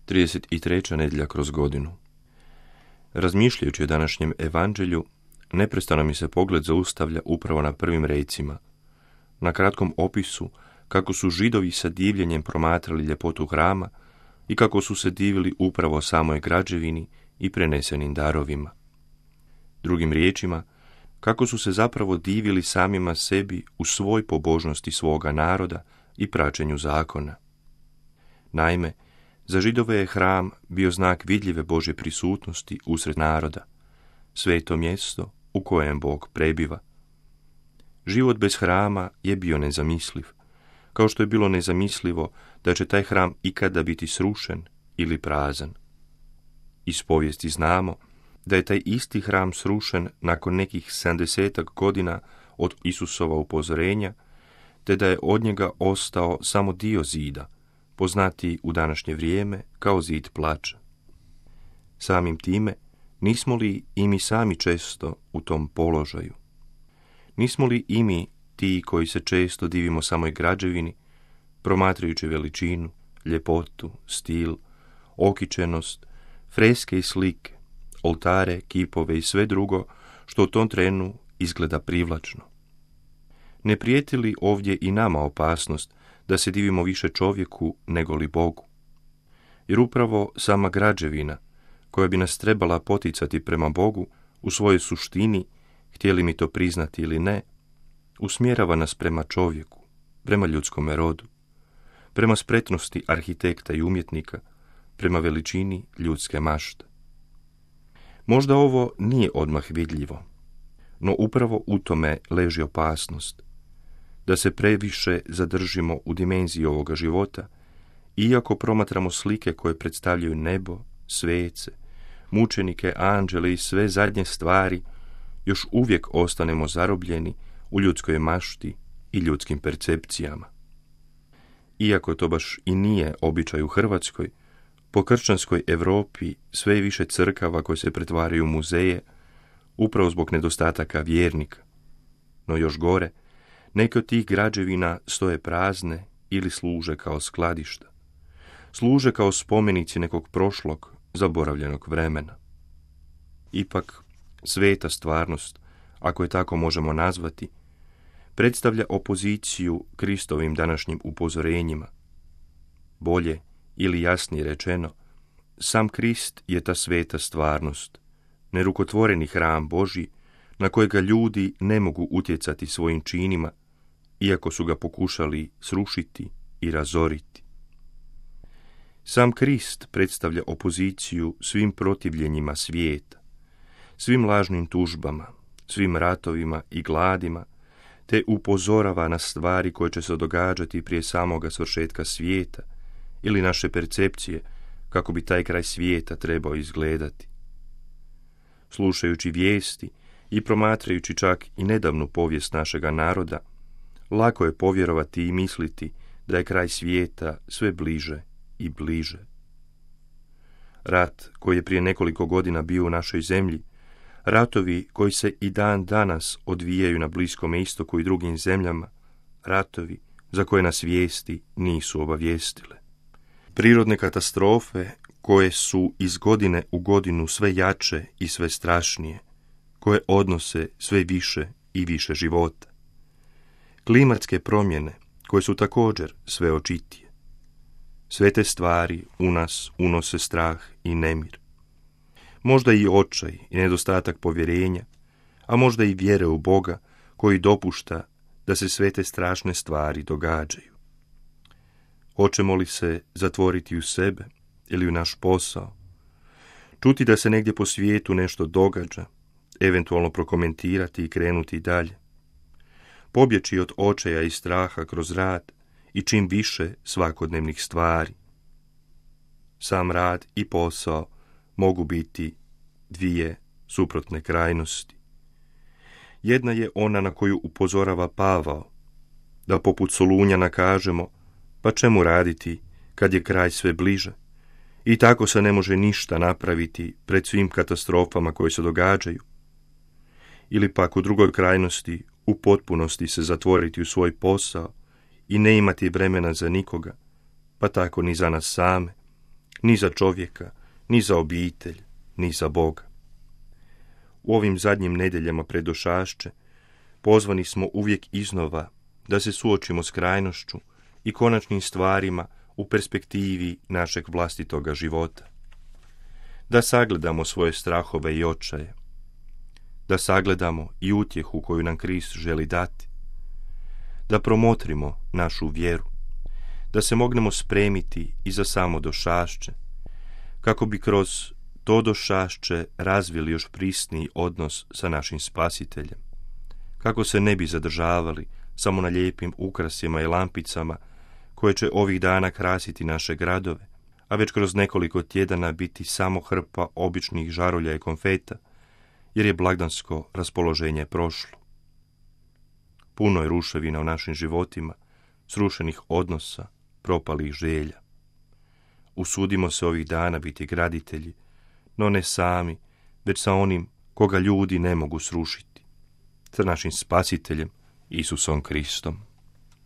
33. nedjelja kroz godinu. Razmišljajući o današnjem evanđelju, neprestano mi se pogled zaustavlja upravo na prvim recima, na kratkom opisu kako su Židovi sa divljenjem promatrali ljepotu hrama i kako su se divili upravo samoj građevini i prenesenim darovima. Drugim riječima, kako su se zapravo divili samima sebi u svoj pobožnosti svoga naroda i praćenju zakona. Naime, za Židove je hram bio znak vidljive Božje prisutnosti usred naroda, sveto mjesto u kojem Bog prebiva. Život bez hrama je bio nezamisliv, kao što je bilo nezamislivo da će taj hram ikada biti srušen ili prazan. Iz povijesti znamo da je taj isti hram srušen nakon nekih 70 godina od Isusova upozorenja, te da je od njega ostao samo dio zida, poznatiji u današnje vrijeme kao zid plača. Samim time, nismo li i mi sami često u tom položaju? Nismo li i mi ti koji se često divimo samoj građevini, promatrajući veličinu, ljepotu, stil, okičenost, freske i slike, oltare, kipove i sve drugo što u tom trenu izgleda privlačno? Ne prijeti li ovdje i nama opasnost da se divimo više čovjeku nego li Bogu? Jer upravo sama građevina, koja bi nas trebala poticati prema Bogu, u svojoj suštini, htjeli mi to priznati ili ne, usmjerava nas prema čovjeku, prema ljudskome rodu, prema spretnosti arhitekta i umjetnika, prema veličini ljudske mašte. Možda ovo nije odmah vidljivo, no upravo u tome leži opasnost, da se previše zadržimo u dimenziji ovoga života, iako promatramo slike koje predstavljaju nebo, svece, mučenike, anđele i sve zadnje stvari, još uvijek ostanemo zarobljeni u ljudskoj mašti i ljudskim percepcijama. Iako to baš i nije običaj u Hrvatskoj, po kršćanskoj Europi sve je više crkava koje se pretvaraju u muzeje, upravo zbog nedostataka vjernika. No još gore, neke od tih građevina stoje prazne ili služe kao skladišta. Služe kao spomenici nekog prošlog, zaboravljenog vremena. Ipak, sveta stvarnost, ako je tako možemo nazvati, predstavlja opoziciju Kristovim današnjim upozorenjima. Bolje ili jasnije rečeno, sam Krist je ta sveta stvarnost, nerukotvoreni hram Božji na kojega ljudi ne mogu utjecati svojim činima, iako su ga pokušali srušiti i razoriti. Sam Krist predstavlja opoziciju svim protivljenjima svijeta, svim lažnim tužbama, svim ratovima i gladima, te upozorava na stvari koje će se događati prije samoga svršetka svijeta ili naše percepcije kako bi taj kraj svijeta trebao izgledati. Slušajući vijesti i promatrajući čak i nedavnu povijest našega naroda, lako je povjerovati i misliti da je kraj svijeta sve bliže i bliže. Rat koji je prije nekoliko godina bio u našoj zemlji, ratovi koji se i dan danas odvijaju na Bliskom istoku i drugim zemljama, ratovi za koje nas vijesti nisu obavijestile. Prirodne katastrofe koje su iz godine u godinu sve jače i sve strašnije, koje odnose sve više i više života. Klimatske promjene koje su također sve očitije. Sve te stvari u nas unose strah i nemir. Možda i očaj i nedostatak povjerenja, a možda i vjere u Boga koji dopušta da se sve te strašne stvari događaju. Hoćemo li se zatvoriti u sebe ili u naš posao? Čuti da se negdje po svijetu nešto događa, eventualno prokomentirati i krenuti dalje. Pobjeći od očaja i straha kroz rad i čim više svakodnevnih stvari. Sam rad i posao mogu biti dvije suprotne krajnosti. Jedna je ona na koju upozorava Pavao, da poput Solunjana kažemo, pa čemu raditi kad je kraj sve bliže? I tako se ne može ništa napraviti pred svim katastrofama koje se događaju. Ili pak u drugoj krajnosti u potpunosti se zatvoriti u svoj posao i ne imati vremena za nikoga, pa tako ni za nas same, ni za čovjeka, ni za obitelj, ni za Boga. U ovim zadnjim nedjeljama pred došašće pozvani smo uvijek iznova da se suočimo s krajnošću i konačnim stvarima u perspektivi našeg vlastitoga života. Da sagledamo svoje strahove i očaje. Da sagledamo i utjehu koju nam Krist želi dati. Da promotrimo našu vjeru. Da se mognemo spremiti i za samo došašće, kako bi kroz to došašće razvili još prisniji odnos sa našim Spasiteljem. Kako se ne bi zadržavali samo na lijepim ukrasima i lampicama koje će ovih dana krasiti naše gradove, a već kroz nekoliko tjedana biti samo hrpa običnih žarulja i konfeta, jer je blagdansko raspoloženje prošlo. Puno je ruševina u našim životima, srušenih odnosa, propalih želja. Usudimo se ovih dana biti graditelji, no ne sami, već sa onim koga ljudi ne mogu srušiti, sa našim Spasiteljem Isusom Kristom.